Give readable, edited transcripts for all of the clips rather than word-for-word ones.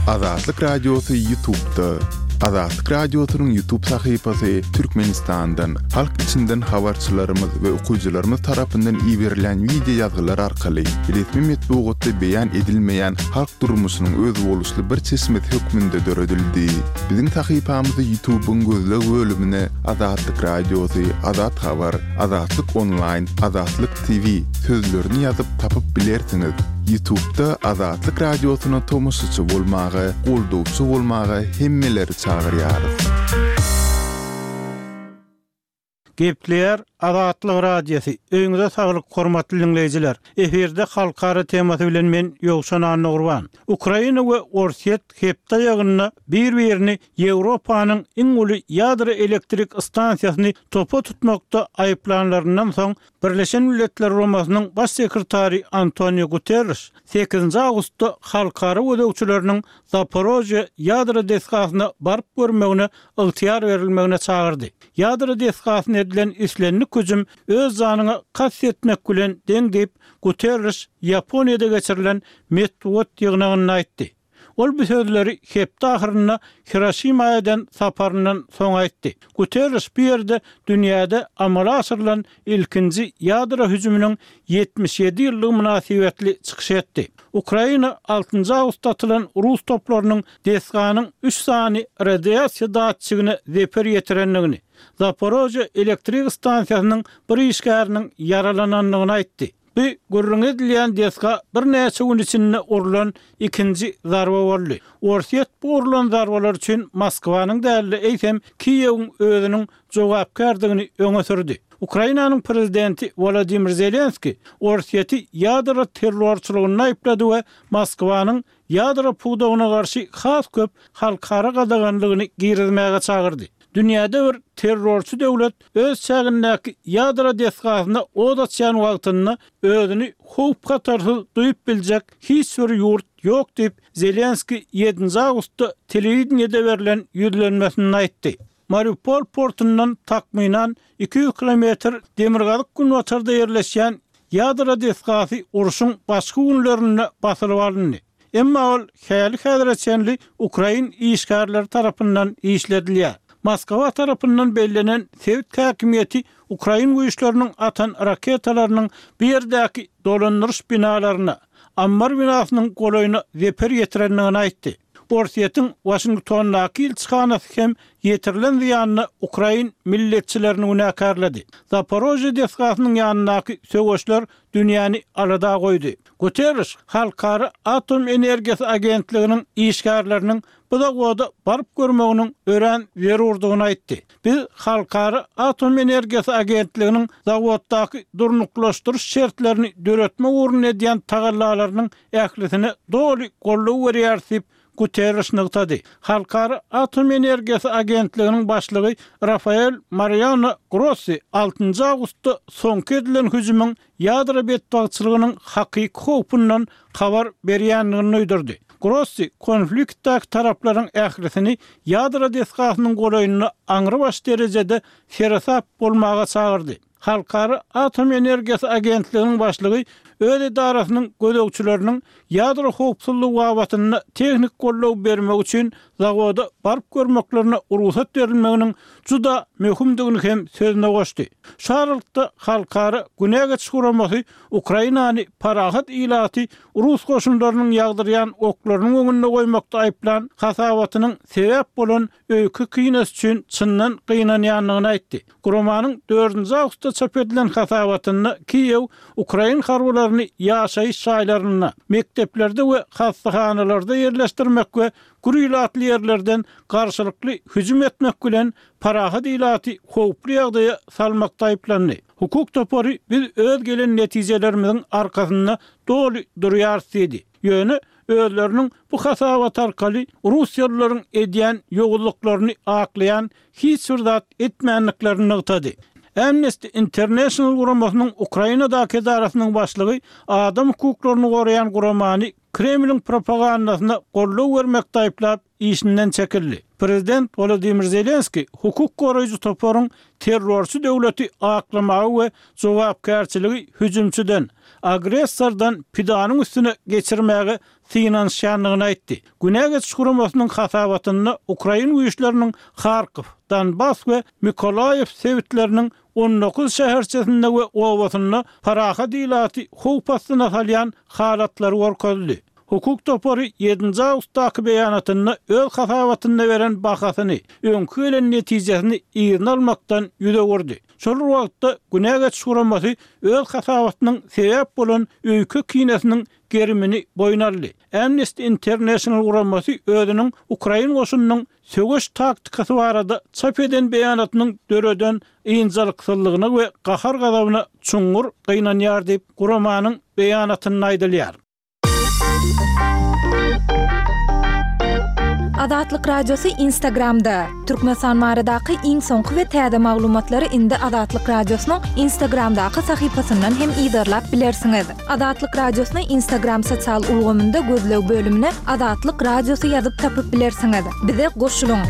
Azatlyk Radiosy Ýutubda. Azatlyk Radiosynyň Ýutub sahypasy Türkmenistandan, halk içinden habarçylarymyz we okyjylarymyz tarapyndan iberilýän wideo ýazgylar arkaly resmi metbugatda beýan edilmeýän halk durmuşynyň özboluşly bir çeşmesi hökmünde döredildi. Biziň sahypamyzy Ýutubyň gözleg bölümine Azatlyk Radiosy, Azat Habar, Azatlyk Onlaýn, Azatlyk TV sözlerini ýazyp tapyp bilersiňiz. Ýutubda Azatlyk Radiosyna tomaşaçy bolmaga, goldawçy bolmaga hemmeleri çagyrýarys. Gepleýär Azatlyk Radiosy, Öýüňize saglyk hormatly diňleýjiler! Efirde halkara temasy bilen men Ýowşan Annagurban. Ukraina we Orsýet hepde aýagynda bir-birini Ýewropanyň iň uly ýadro elektrik stansiýasyny topa tutmakda aýyplanlaryndan soň Birleşen Milletler Guramasynyň Baş sekretary Antonio Guterriş sekizinji awgustda halkara gözegçileriniň Zaporožýe ýadro desgasyna baryp görmegine ygtyýar berilmegine çagyrdy. Ýadro desgasyna edilen islendik hüjüm öz janyňa kast etmek bilen deň diýip, Guterriş Ýaponiýada geçirilen metbugat ýygnagynda aýtdy. Ol bu sözleri hepde ahyrynda Hiroşima eden saparyndan soň aýtdy. Guterriş bu ýerde dünýäde amala aşyrylan ilkinji ýadro hüjüminiň 77 ýyllygy mynasybetli çykyş etdi. Ukraina altynjy awgustda atylan rus toplarynyň desganyň üç sany radiasiýa datçigine zeper ýetirendigini, Zaporožýe elektrik stansiýasynyň bir işgäriniň ýaralanandygyny aýtdy. Bu gürrüňi edilýän desga birnäçe gün içinde urlan ikinji zarba boldy. Orsýet bu urlan zarbalar üçin Moskwanyň däl-de, eýsem, Kiýewiň özüniň jogapkärdigini öňe sürdi. Ukrainanyň prezidenti Wolodymyr Zelenskiý Orsýeti ýadro terrorçylygynda aýyplady we Moskwanyň ýadro pudagyna garşy has köp halkara gadaganlygyny girizmäge çagyrdy. Dünýäde bir terrorçy döwlet öz çägindäki ýadro desgasyna od açýan wagtynda özüni howp-hatarsyz duýup biljek hiç bir ýurt ýok diýip, Zelenskiý ýedinji awgustda telewideniýede berlen ýüzlenmesinde aýtdy. Mariupol portundan takmynan 200 kilometr demirgazyk-günbatarda ýerleşýän ýadro desgasy urşuň başky günlerinde basylyp alyndy. Emma ol häli-häzire çenli ukrain işgärleri tarapyndan işledilýär. Moskwa tarapyndan bellenen sebit häkimiýeti ukrain güýçleriniň atan raketalarynyň bu ýerdäki dolandyryş binalaryna, ammar binasynyň golaýyna zeper ýetirendigini aýtdy. Orsýetiň Waşingtondaky ilçihanasy hem ýetirilen zyýanda ukrain milletçilerini günäkärledi. Zaporožýe desgasynyň ýanyndaky söweşler dünýäni alada goýdy. Guterriş Halkara atom energiýasy agentliginiň işgärleriniň bu zawoda baryp görmeginiň örän zerurdygyny aýtdy. Biz Halkara atom energiýasy agentliginiň zawoddaky durnuklaşdyryş şertlerini döretmek ugrunda edýän tagallalarynyň ählisine doly goldaw berýäris diýip, Guterriş nygtady. Halkara atom energiýasy agentliginiň başlygy Rafael Mariano Grossi altynjy awgustda soňky edilen hüjümiň ýadro betbagtçylygynyň hakyky howpundan habar berýändigini duýdurdy. Grossi konfliktdäki taraplaryň ählisini ýadro desgasynyň golaýynda aňrybaş derejede seresap bolmaga çagyrdy. Halkara atom energiýasy agentliginiň başlygy öz edarasynyň gözegçileriniň ýadro howpsuzlygy babatynda tehnik goldaw bermek üçin zawoda baryp görmeklerine rugsat berilmeginiň juda möhümdigini hem sözüne goşdy. Şu aralykda, Halkara Günä geçiş guramasy Ukrainany parahat ilaty rus goşunlarynyň ýagdyrýan oklarynyň öňünde goýmakda aýyplan hasabatynyň sebäp bolan öýke-kinesi üçin çyndan gynanýandygyny aýtdy. Guramanyň dördünji awgustda çap edilen hasabatynda Kiýew ukrain harbylaryny ýaşaýyş jaýlarynda, mekdeplerde we hassahanalarda ýerleşdirmek we gür ilatly ýerlerden garşylykly hüjüm etmek bilen parahat ilaty howply ýagdaýa salmakda aýyplandy. Hukuk topary biz öz gelen netijelerimiziň arkasynda doly durýarys diýdi. Ýöne özleriniň bu hasabat arkaly russiýalylaryň edýän ýowuzlyklaryny aklaýan hiç bir zat etmändiklerini nygtady. Amnesty International guramasynyň Ukrainadaky edarasynyň başlygy adam hukuklaryny goraýan guramany Kremliň propagandasyna goldaw bermekde aýyplap, işinden çekildi. Prezident Wolodymyr Zelenskiý hukuk goraýjy toparyň terrorçy döwleti aklamaga we jogapkärçiligi hüjümçiden, agressordan pidanyň üstüne geçirmäge synanyşýandygyny aýtdy. Günä geçiş guramasynyň hasabatynda ukrain güýçleriniň Harkow, Donbas we Mykolaýiw sebitleriniň 19 şäherçesinde we obasynda parahat ilaty howp astyna salýan halatlary görkezildi. Hukuk topary ýedinji awgustdaky beýanatynda öz hasabatynda beren bahasyny, öňki gelen netijesini yzyna almakdan ýüz öwürdi. Şol bir wagtda, Günä geçiş guramasy öz hasabatynyň sebäp bolan öýke-kinesiniň gerimini boýun aldy. Amnesty International guramasy özüniň ukrain goşunynyň söweş taktikasy barada çap eden beýanatynyň döreden ynjalyksyzlygyna we gahar-gazabyna çuňňur gynanýar diýip, guramanyň beýanatynda aýdylýar. Azatlyk Radiosy Instagramda, Türkmenistan baradaky iň soňky we täze maglumatlary indi Azatlyk Radiosynyň Instagramdaky sahypasyndan hem yzarlap bilersiňiz. Azatlyk Radiosyny Instagram sosial ulgamynda gözleg bölümine Azatlyk Radiosy ýazyp tapyp bilersiňiz. Bize goşulyň!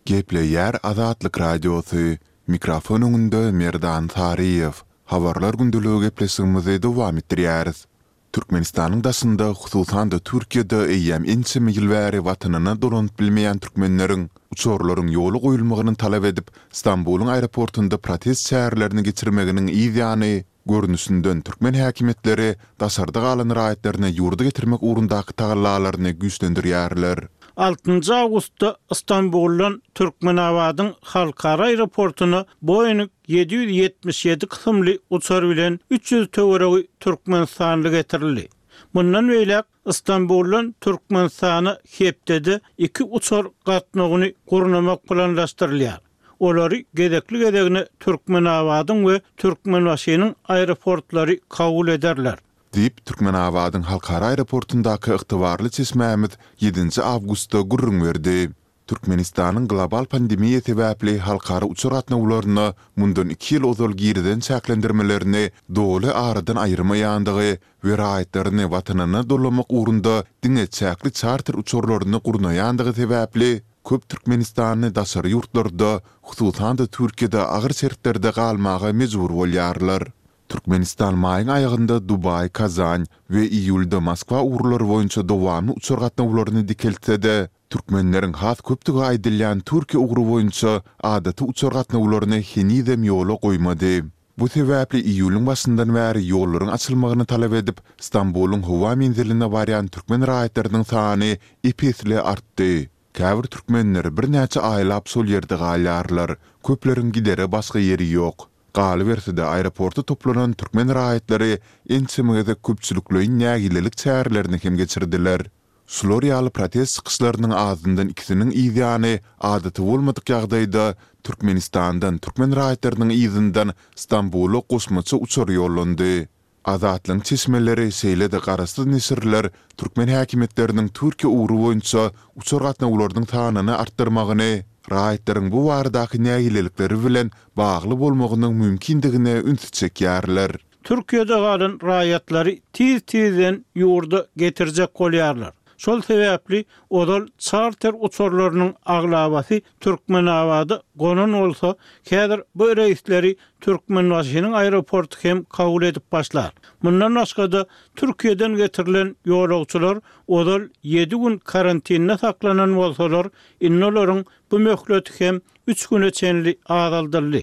Gepleýär Azatlyk Radiosy, Mikrofon öňünde Merdan Saryýew. Habarlar gündeligi gepleşigimizi dowam etdirýäris. Türkmenistanyň daşynda, hususan-da Türkiýede eýýäm ençeme ýyl bäri watanyna dolanyp bilmeýän türkmenleriň uçarlaryň ýola goýulmagyny talap edip, Stambulyň aeroportunda protest çärelerini geçirmeginiň yz ýany, görnüşinden türkmen häkimiýetleri daşarda galan raýatlaryny ýurda getirmek ugrundaky tagallalaryny güýçlendirýärler. Altynjy awgustda Stambuldan Türkmenabadyň halkara aeroportuna Boeing 777 kysymly uçar bilen 300 töweregi türkmenistanly getirildi. Mundan beýläk Stambuldan Türkmenistana hepdede iki uçar gatnawyny gurnamak planlaşdyrylýar. Olary gezekli-gezegine Türkmenabadyň we Türkmenbaşynyň aeroportlary kabul ederler. Diýip, Türkmenabadyň halkara aeroportundaky ygtybarly çeşmämiz ýedinji awgustda gürrüň berdi. Türkmenistanyň global pandemiýa sebäpli halkara uçar gatnawlaryna mundan iki ýyl ozal girizen çäklendirmelerini doly aradan aýyrmaýandygy we raýatlaryny Watanyna dolamak ugrunda diňe çäkli çarter uçarlaryny gurnaýandygy sebäpli köp türkmenistanly daşary ýurtlarda, hususan-da Türkiýede agyr şertlerde galmaga mejbur bolýarlar. Türkmenistan maýyň aýagynda Dubaý, Kazan we iýulda Moskwa ugurlary boýunça dowamly uçar gatnawlaryny dikeltse-de, türkmenleriň has köpdügi aýdylýan Türkiýe ugry boýunça adaty uçar gatnawlaryny henizem ýola goýmady. Bu sebäpli iýulyň başyndan bäri ýollaryň açylmagyny talap edip, Stambulyň howa menziline barýan türkmen raýatlarynyň sany ep-esli artdy. Käbir türkmenler birnäçe aýlap şol ýerde galýarlar, köpleriň gidere başga ýeri ýok. Galyberse-de, aeroporta toplanan türkmen raýatlary ençeme gezek köpçülikleýin nägilelik çärelerini hem geçirdiler. Şular ýaly protest çykyşlarynyň azyndan ikisiniň yzýany adaty bolmadyk ýagdaýda Türkmenistandan türkmen raýatlarynyň yzyndan Stambula goşmaça uçar ýollandy. Azatlygyň çeşmeleri, şeýle-de garaşsyz neşirler türkmen häkimiýetleriniň Türkiýe ugry boýunça uçar gatnawlarynyň sanyny artdyrmagyny raýatlaryň bu baradaky nägilelikleri bilen bagly bolmagynyň mümkindigine ünsi çekýärler. Türkiýede galan raýatlary tiz-tizden ýurda getirjek bolýarlar. Şol sebäpli ozal çarter uçarlarynyň aglabasy Türkmenabada gonan bolsa, häzir bu reýsleri Türkmenbaşynyň aeroporty hem kabul edip başlar. Mundan başga-da, Türkiýeden getirilen ýolagçylar ozal ýedi gün karantinde saklanan bolsalar, indi olaryň bu möhleti hem üç güne çenli azaldyldy.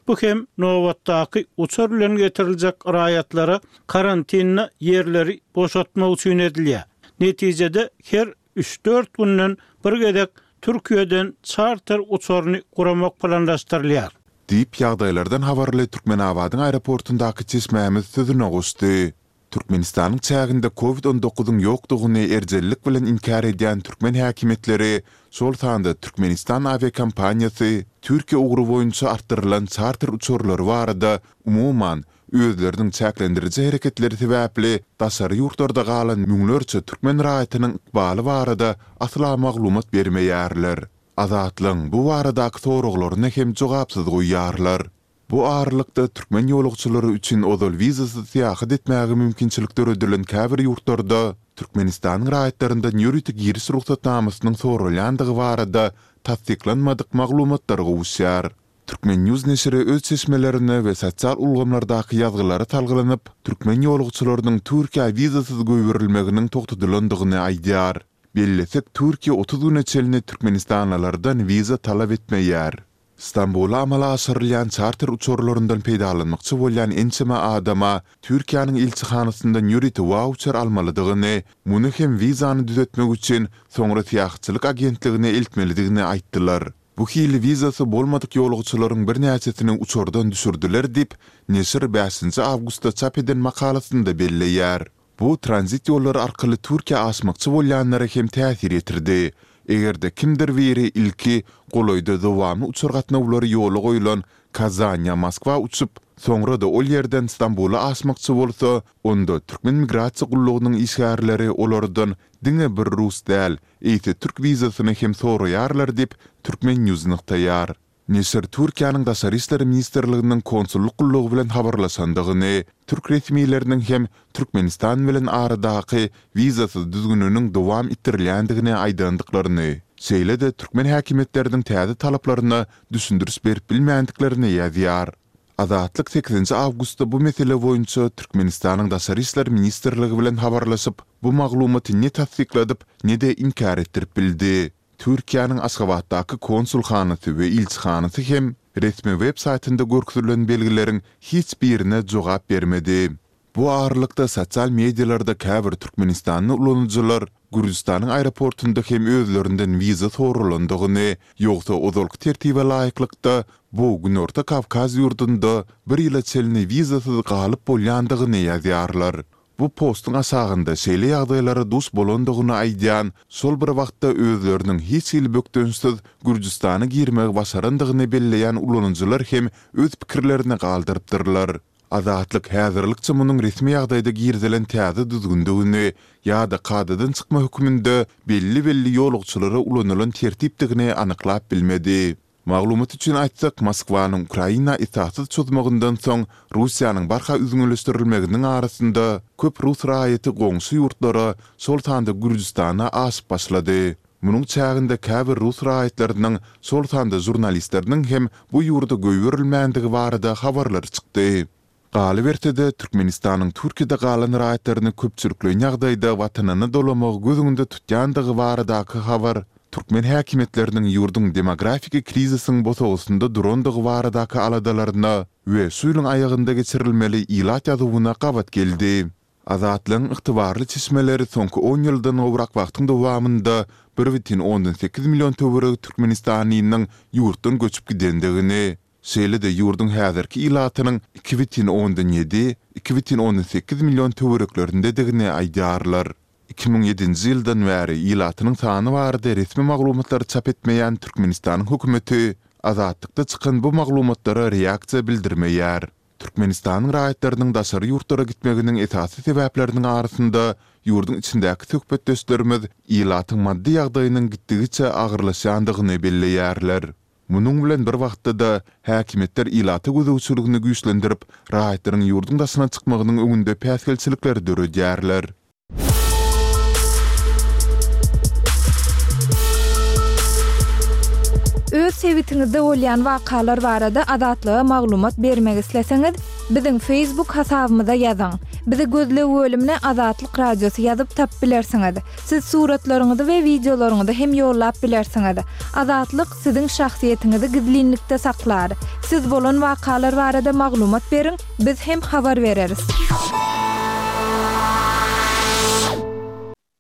Bu hem nobatdaky uçar bilen getiriljek raýatlara karantinde ýerleri boşatmak üçin edilýär. Netijede her üç-dört günden bir gezek Türkiýeden çarter uçaryny guramak planlaşdyrylýar. Diýip, ýagdaýlardan habarly Türkmenabadyň aeroportundaky çeşmämiz sözüne goşdy. Türkmenistanyň çäginde Covid 19 yň ýokdugyny erjellik bilen inkär edýän türkmen häkimiýetleri, şol sanda Türkmenistan awiakompaniýasy Türkiýe ugry boýunça artdyrylan çarter uçarlary barada, umuman, özleriniň çäklendiriji hereketleri sebäpli daşary ýurtlarda galan müňlerçe türkmen raýatynyň ykbaly barada asla maglumat bermeýärler. Azatlygyň bu baradaky soraglaryny hem jogapsyz goýýarlar. Bu aralykda, türkmen ýolagçylary üçin ozal wizasyz syýahat etmäge mümkinçilik döredilen käbir ýurtlarda Türkmenistanyň raýatlaryndan ýörite giriş rugsatnamasynyň soralýandygy barada tassyklanmadyk maglumatlar gowuşýar. Turkmen. News neşiri öz çeşmelerine we sosial ulgamlardaky ýazgylara salgylanyp, türkmen ýolagçylarynyň Türkiýä wizasyz goýberilmeginiň togtadylandygyny aýdýar. Bellesek, Türkiýe 30 güne çenli türkmenistanlylardan wiza talap etmeýär. Stambula amala aşyrylýan çarter uçarlaryndan peýdalanmakçy bolýan ençeme adama Türkiýäniň ilçihanasyndan ýörite wauçer almalydygyny, muny hem wizany düzetmek üçin soňra syýahatçylyk agentligine eltmelidigini aýtdylar. Bu hili wizasy bolmadyk ýolagçylaryň birnäçesini uçardan düşürdiler diýip, neşir bäşinji awgustda çap eden makalasynda belleýär. Bu tranzit ýollary arkaly Türkiýä aşmakçy bolýanlara hem täsir ýetirdi. Eger-de kimdir biri ilki golaýda dowamly uçar gatnawlary ýola goýlan Kazan ýa Moskwa uçup, soňra-da ol ýerden Stambula aşmakçy bolsa, onda türkmen migrasiýa gullugynyň işgärleri olardan diňe bir rus däl, eýse türk wizasyny hem soraýarlar diýip, Turkmen News nygtaýar. Neşir Türkiýäniň Daşary işler ministrliginiň konsullyk gullugy bilen habarlaşandygyny, türk resmileriniň hem Türkmenistan bilen aradaky wizasyz düzgüniniň dowam etdirilýändigini aýdandyklaryny, şeýle-de türkmen häkimiýetleriniň täze talaplaryna düşündiriş berip bilmändiklerini ýazýar. Azatlyk sekizinji awgustda bu mesele boýunça Türkmenistanyň Daşary işler ministrligi bilen habarlaşyp, bu maglumaty ne tassykladyp, ne-de inkär etdirip bildi. Türkiýäniň Aşgabatdaky konsulhanasy we ilçihanasy hem resmi web saýtynda görkezilen belgileriň hiç birine jogap bermedi. Bu aralykda sosial medialarda käbir türkmenistanly ulanyjylar Gürjüstanyň aeroportunda hem özlerinden wiza soralandygyny, ýogsa ozalky tertibe laýyklykda bu Günorta Kawkaz ýurdunda bir ýyla çenli wizasyz galyp bolýandygyny ýazýarlar. Bu postuň aşagynda şeýle ýagdaýlara duş bolandygyny aýdýan, şol bir wagtda özleriniň hiç hili bökdençsiz Gürjüstana girmegi başarandygyny belleýän ulanyjylar hem öz pikirlerini galdyrypdyrlar. Azatlyk häzirlikçe munuň resmi ýagdaýda girizilen täze düzgündigini ýa-da kadadan çykma hökmünde belli-belli ýolagçylara ulanylan tertipdigini anyklap bilmedi. Maglumat üçin aýtsak, Moskwanyň Ukraina esassyz çozmagyndan soň Russiýanyň barha üzňeleşdirilmeginiň arasynda köp rus raýaty goňşy ýurtlara, şol sanda Gürjüstana aşyp başlady. Munuň çäginde käbir rus raýatlarynyň, şol sanda žurnalistleriniň hem bu ýurda goýberilmändigi barada habarlar çykdy. Galyberse-de, Türkmenistanyň Türkiýede galan raýatlaryny köpçülikleýin ýagdaýda watanyna dolamagy göz öňünde tutýandygy baradaky habar türkmen häkimiýetleriniň ýurduň demografiki krizisiň bosagasynda durandygy baradaky aladalaryna we şu ýylyň aýagynda geçirilmeli ilat ýazuwyna gabat geldi. Azatlygyň ygtybarly çeşmeleri soňky on ýyldan gowrak wagtyň dowamynda bir bütin ondan sekiz million töweregi türkmenistanlynyň ýurtdan göçüp gidendigini, şeýle-de ýurduň häzirki ilatynyň 2,7, 2,8 million töwereklerindedigini aýdýarlar. 2007-nji ýyldan bäri ilatynyň sany barada resmi maglumatlary çap etmeýän Türkmenistanyň hökümeti Azatlykda çykan bu maglumatlara reaksiýa bildirmeýär. Türkmenistanyň raýatlarynyň daşary ýurtlara gitmeginiň esasy sebäpleriniň arasynda ýurduň içindäki söhbetdeşlerimiz ilatyň maddy ýagdaýynyň gitdigiçe agyrlaşýandygyny belleýärler. Munuň bilen bir wagtda-da, häkimiýetler ilata gözegçiligini güýçlendirip, raýatlaryň ýurduň daşyna çykmagynyň öňünde päsgelçilikleri döredýärler. Öz sebitiňizde bolýan wakalar barada Azatlyga maglumat bermek isleseňiz, biziň Facebook hasabymyza ýazyň. Bizi gözleg bölümine Azatlyk Radiosy ýazyp tapyp bilersiňiz. Siz suratlaryňyzy we wideolaryňyzy hem ýollap bilersiňiz. Azatlyk siziň şahsyýetiňizi gizlinlikde saklar. Siz bolan wakalar barada maglumat beriň, biz hem habar bereris.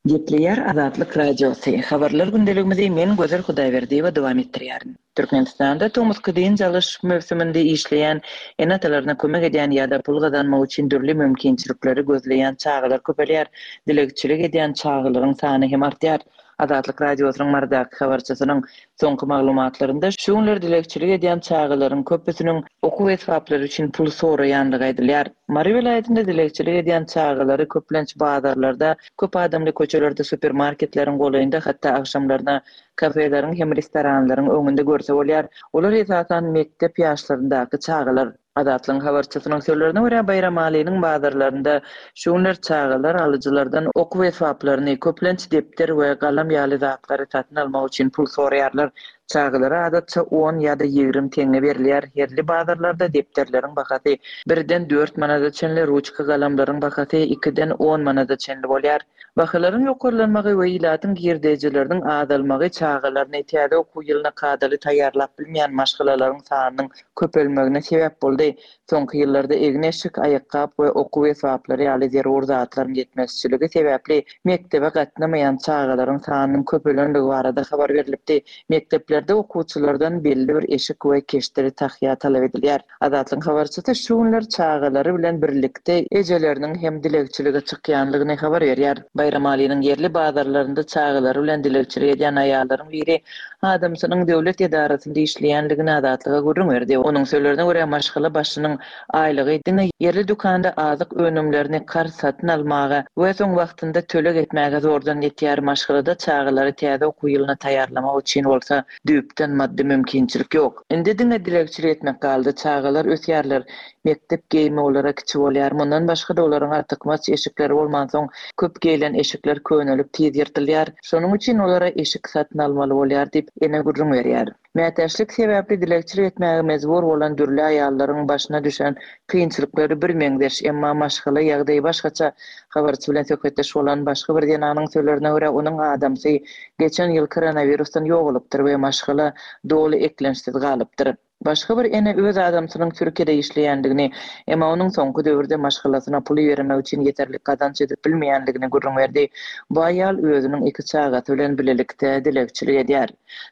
Gepleýär Azatlyk Radiosy, Habarlar gündeligimizi men Gözel Hudaýberdiýewa dowam etdirýärin. Türkmenistanda tomusky dynç alyş möwsüminde işleýän ene-atalaryna kömek edýän ýa-da pul gazanmak üçin dürli mümkinçilikleri gözleýän çagalar köpelýär. Dilegçilik edýän çagalaryň sany hem artýar. Azatlyk Radiosynyň Marydaky habarçysynyň soňky maglumatlarynda şu günler dilegçilik edýän çagalaryň köpüsiniň okuw esbaplary üçin pul soraýandygy aýdylýar. Mary welaýatynda dilegçilik edýän çagalary köplenç bazarlarda, köp adamly köçelerde, supermarketleriň golaýynda, hatda agşamlaryna Kafeleriň hem restoranlaryň öňünde görse bolýar. Olar esasan mekdep ýaşlaryndaky çagalar. Azatlygyň habarçysynyň sözlerine görä, Baýramalynyň bazarlarynda şu günler çagalar alyjylardan okuw esbaplaryny, köplenç depder we galam ýaly zatlary satyn almak üçin pul soraýarlar. Çagalara adatça on ýa-da 20 teňňe berilýär. Ýerli bazarlarda depderleriň bahasy birden dört manada çenli, ruçka galamlaryň bahasy ikiden on manada çenli bolýar. Bahalaryň ýokarlanmagy we ilatyň girdejileriniň azalmagy çagalaryny täze okuw ýylyna kadaly taýýarlap bilmeýän maşgalalaryň sanynyň köpelmegine sebäp boldy. Soňky ýyllarda egin-eşik, aýakgap we okuw esbaplary ýaly zerur zatlaryň ýetmezçiligi sebäpli mekdebe gatnamaýan çagalaryň sanynyň köpelenligi barada habar berlipdi. Mekdeplerde okuwçylardan belli bir eşik we keşdeli tahýa talap edilýär. Azatlygyň habarçysy şu günler çagalary bilen birlikde ejeleriniň hem dilegçilige çykýanlygyny habar berýär. Baýramalynyň ýerli bazarlarynda çagalary bilen dilegçilik edýän aýallaryň biri adamsynyň döwlet edarasynda işleýänligini Azatlyga gürrüň berdi. Onuň sözlerine görä, maşgala başynyň aýlygy diňe ýerli dükanda azyk önümlerini karz satyn almaga we soň wagtynda töleg etmäge zordan ýetýär, maşgalada çagalary täze okuw ýylyna taýýarlamak üçin bolsa düýpden maddy mümkinçilik ýok. Indi diňe dilegçilik etmek galdy. Çagalar ösýärler. Mekdep geýimi olara kiçi bolýar. Mundan başga-da olaryň artykmaç eşikleri bolmansoň, köp geýlen eşikler könelip tiz ýyrtylýar. Şonuň üçin olara eşik satyn almaly bolýar diýip, ene gürrüň berýär. Mätäçlik sebäpli dilegçilik etmäge mejbur bolan dürli aýallaryň başyna düşen kynçylyklary birmeňzeş, emma maşgala ýagdaýy başgaça. Habarçy bilen söhbetdeş bolan başga bir zenanyň sözlerine görä, onuň adamsy geçen ýyl koronawirusdan ýogalypdyr we maşgala doly eklençsiz galypdyr. Başga bir ene öz adamsynyň Türkiýede işleýändigini, emma onuň soňky döwürde maşgalasyna pul ibermek üçin ýeterlik gazanç edip bilmeýändigini gürrüň berdi. Bu aýal özüniň iki çagasy bilen bilelikde dilegçilik edýär.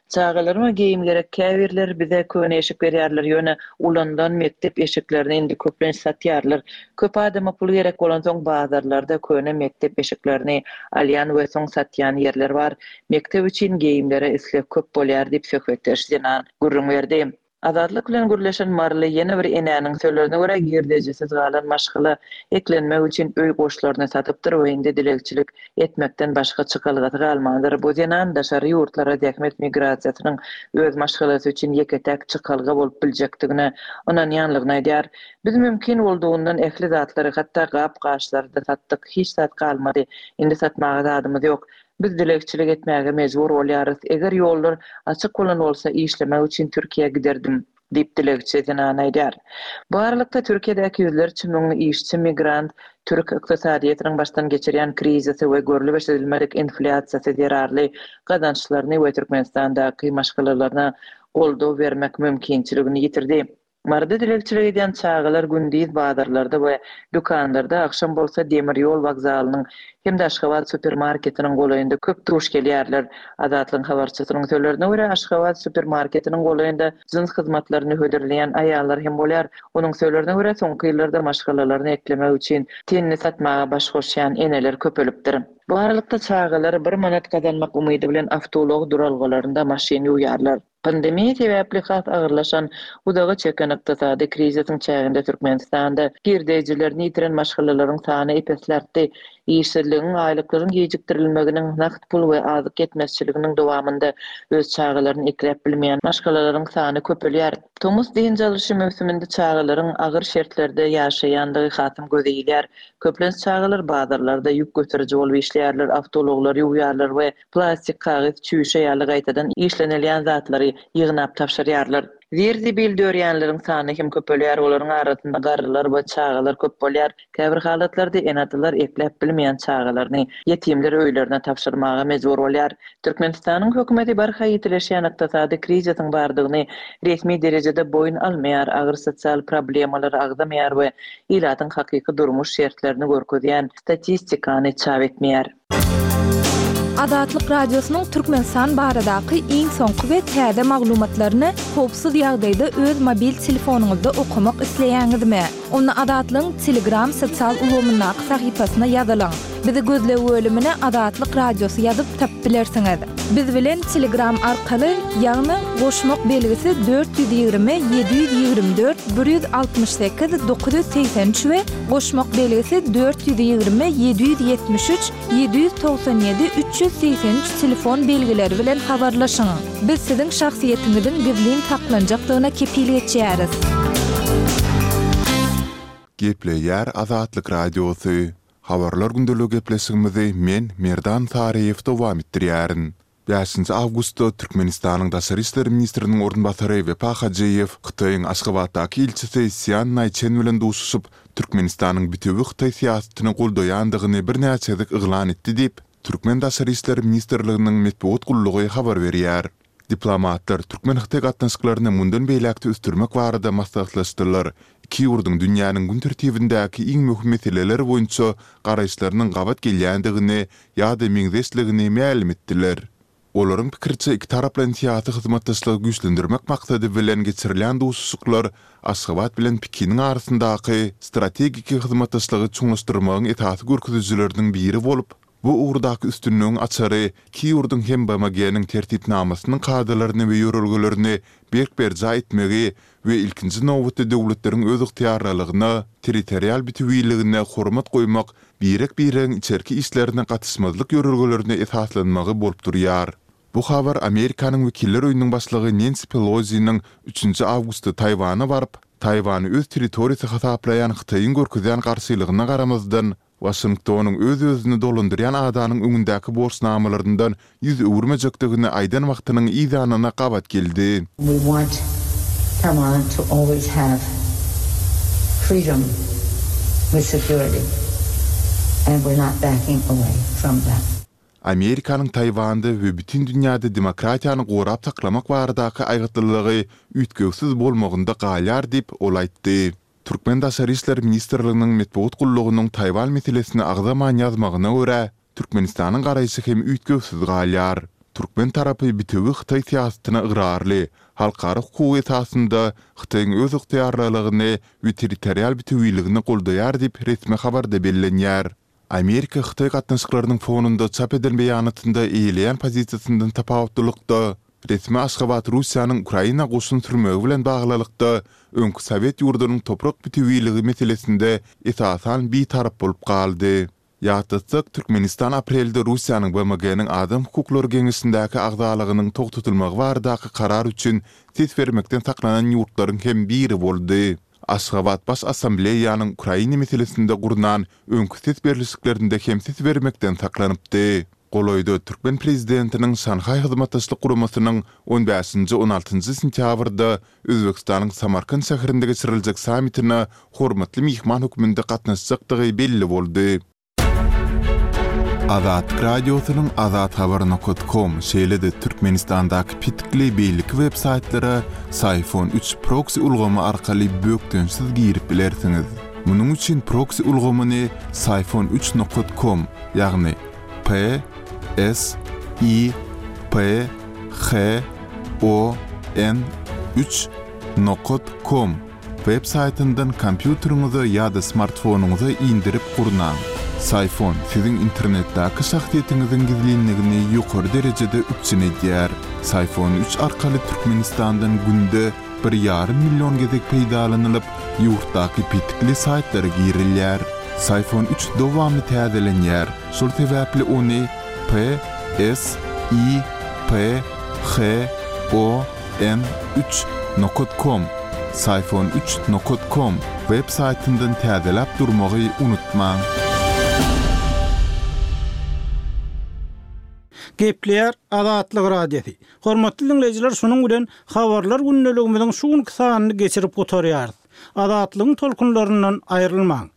Çagalaryma geýim gerek, käbirleri bize köne eşik berýärler, ýöne ulanylan mekdep eşiklerini indi köplenç satýarlar. Köp adama pul gerek bolansoň bazarlarda köne mekdep eşiklerini alýan we soň satýan ýerler bar. Mekdep üçin geýimlere isleg köp bolýar diýip söhbetdeş zenan gürrüň berdi. Azatlyk bilen gürleşen maryly ýene bir enäniň sözlerine görä, girdejisiz galan maşgala eklenmek üçin öý goşlaryny satypdyr we indi dilegçilik etmekden başga çykalgasy galmandyr. Bu zenan daşary ýurtlara zähmet migrasiýasynyň öz maşgalasy üçin ýeke-täk çykalga bolup biljekdigine ynanýanlygyny aýdýar. Biz mümkin boldugyndan ähli zatlary, hatda gap-gaçlary-da satdyk. Hiç zat galmady. Indi satmaga zadymyz ýok. Biz dilegçilik etmäge mejbur bolýarys. Eger ýollar açyk bolan bolsa, işlemek üçin Türkiýä giderdim, diýip, dilegçi zenan aýdýar. Bu aralykda, Türkiýedäki ýüzlerçe müň işçi migrant türk ykdysadyýetiniň başdan geçirýän krizisi we görlüp-eşidilmedik inflýasiýasy zerarly gazançlaryny we Türkmenistandaky maşgalalaryna goldaw bermek mümkinçiligini ýitirdi. Maryda dilegçilik edýän çagalar gündiz bazarlarda we dükanlarda, agşam bolsa demir ýol wokzalynyň hem-de Aşgabat supermarketiniň golaýynda köp duş gelýärler. Azatlygyň habarçysynyň sözlerine görä, Aşgabat supermarketiniň golaýynda jyns hyzmatlaryny hödürleýän aýallar hem bolýar. Onuň sözlerine görä, soňky ýyllarda maşgalalaryny eklemek üçin tenini satmaga baş goşýan eneler köpelipdir. Bu aralykda çagalar bir manat gazanmak umydy bilen awtoulag duralgalarynda maşyn ýuwýarlar. Pandemiýa sebäpli has agyrlaşan, uzaga çeken ykdysady krizisiň çäginde Türkmenistanda girdejilerini ýitiren maşgalalaryň sany ep-esli artdy. Işsizligiň, aýlyklaryň gijikdirilmeginiň, nagt pul we azyk ýetmezçiliginiň dowamynda öz çagalaryny ekläp bilmeýän maşgalalaryň sany köpelýär. Tomus dynç alyşy möwsüminde çagalaryň agyr şertlerde ýaşaýandygy hasam göze ilýär. Köplenç çagalar bazarlarda ýük göteriji bolup işleýärler, awtoulaglary ýuwýarlar we plastik, kagyz, çüýşe ýaly gaýtadan işlenilýän zatlary ýygnap tabşyrýarlar. Zir-zibil dörýänleriň sany hem köpelýär, olaryň arasynda garrylar we çagalar köp bolýar. Käbir halatlarda ene-atalar ekläp bilmeýän çagalaryny ýetimler öýlerine tabşyrmaga mejbur bolýar. Türkmenistanyň hökümeti barha ýitileşýän ykdysady krizisiň bardygyny resmi derejede boýun almaýar, agyr sosial problemalary agzamaýar we ilatyň hakyky durmuş şertlerini görkezýän statistikany çap etmeýär. Azatlyk Radiosynyň Türkmenistan baradaky iň soňky we täze maglumatlaryny howpsuz ýagdaýda öz mobil telefonyňyzda okamak isleýäňizmi? Onda Azatlygyň Telegram sosial ulgamyndaky sahypasyna ýazylyň. Bizi gözleg bölümine Azatlyk Radiosy ýazyp tapyp bilersiňiz. Biz bilen Telegram arkaly, ýagny goşmak belgisi 420 724 168 983 we Goşmak belgisi 420 773 797 383 telefon belgileri bilen habarlaşyň. Biz siziň şahsyýetiňiziň gizlin saklanjakdygyna kepil geçýäris. Gepleýär Azatlyk Radiosy. Habarlar gündeligi gepleşigimizi men, Merdan Saryýew dowam etdirýärin. Bäşinji awgustda Türkmenistanyň daşary işler ministriniň orunbasary Wepa Hajyýew Hytaýyň Aşgabatdaky ilçisi Sýan Naýçen bilen duşuşyp, Türkmenistanyň bitewi hytaý syýasatyny goldaýandygyny birnäçe gezek yglan etdi diýip, Türkmen Daşary işler ministrliginiň metbugat gullugy habar berýär. Diplomatlar türkmen-hytaý gatnaşyklaryny mundan beýläk-de ösdürmek barada maslahatlaşdylar, iki ýurduň dünýäniň gün tertibindäki iň möhüm meseleler boýunça garaýyşlarynyň gabat gelýändigini ýa-da meňzeşligini mälim etdiler. Olaryň pikiriçe, ikitaraplaýyn syýasy hyzmatdaşlygy güýçlendirmek maksady bilen geçirilýän duşuşyklar Aşgabat bilen Pekiniň arasyndaky strategik hyzmatdaşlygy çuňlaşdyrmagyň esasy görkezijileriniň biri bolup, bu ugurdaky üstünligiň açary iki ýurduň hem BMG-niň Tertipnamasynyň kadalaryny we ýörelgelerini berk berjaý etmegi we ilkinji nobatda döwletleriň özygtyýarlylygyna, territorial bütewiligine hormat goýmak, birek-biregiň içerki işlerine gatyşmazlyk ýörelgelerine esaslanmagy bolup durýar. Bu habar Amerikanyň Wekiller öýüniň başlygy Nensi Peloziniň üçünji awgustda Taýwana baryp, Taýwany öz territoriýasy hasaplaýan Hytaýyň görkezýän garşylygyna garamazdan, Waşingtonyň öz-özüni dolandyrýan adanyň öňündäki borçnamalaryndan ýüz öwürmejekdigini aýdan wagtynyň yzýanyna gabat geldi. We want Taiwan to always have freedom with security and we're not backing away from that. Amerikanyň Taýwanda we bütin dünýäde demokratiýany gorap saklamak baradaky aýgytlylygy üýtgewsiz bolmagynda galýar diýip, ol aýtdy. Türkmen Daşary işler ministrliginiň metbugat gullugynyň Taýwan meselesini agzaman ýazmagyna görä, Türkmenistanyň garaýşy hem üýtgewsiz galýar. Türkmen tarapy bitewi hytaý syýasatyna ygrarly, halkara hukugy esasynda Hytaýyň özygtyýarlylygyny we territorial bitewiligini goldaýar diýip resmi habarda bellenýär. Amerika-Hytaý gatnaşyklarynyň fonunda çap eden beýanatynda eýeleýän pozisiýasyndan tapawutlylykda, resmi Aşgabat Russiýanyň Ukraina goşun sürmegi bilen baglylykda öňki sowet ýurdunyň toprak bütewiligi meselesinde esasan bitarap bolup galdy. Ýatlatsak, Türkmenistan aprelde Russiýanyň BMG-niň Adam hukuklary geňeşindäki agzalygynyň togtatylmagy baradaky karar üçin ses bermekden saklanan ýurtlaryň hem biri boldy. Aşgabat Baş Assambleýanyň Ukraina meselesinde gurnan öňki ses berlişiklerinde hem ses bermekden saklanypdy. Golaýda türkmen prezidentiniň Şanhaý Hyzmatdaşlyk Guramasynyň on bäşinji-on altynjy sentýabrda Özbegistanyň Samarkant şäherinde geçiriljek sammitine hormatly myhman hökmünde gatnaşjakdygy belli boldy. Azatlyk Radiosynyň azathabar nokat kom, şeýle-de Türkmenistandaky petikli beýleki web saýtlara Syfon üç proksi ulgamy arkaly bökdençsiz girip bilersiňiz. Munuň üçin proksi ulgamyny Syfon üç nokat kom, ýagny P S I P H O N üç nokat kom Web saýtyndan kompýuteriňize ýa-da smartfonyňyza indirip gurnaň. Syfon siziň internetdäki şahsyýetiňiziň gizlinligini ýokary derejede üpjün edýär. Syfon üç arkaly Türkmenistandan günde bir ýarym million gezek peýdalanylyp, ýurtdaky petikli saýtlara girilýär. Syfon üç dowamly täzelenýär, şol sebäpli ony P S I P H O N üç nokat kom Syfon üç nokat kom web saýtyndan täzeläp durmagy unutmaň. Gepleýär Azatlyk Radiosy. Hormatly diňleýjiler şunuň bilen Habarlar gündeligimiziň şu günki sanyny geçirip gutarýarys. Azatlygyň tolkunlaryndan aýrylmaň.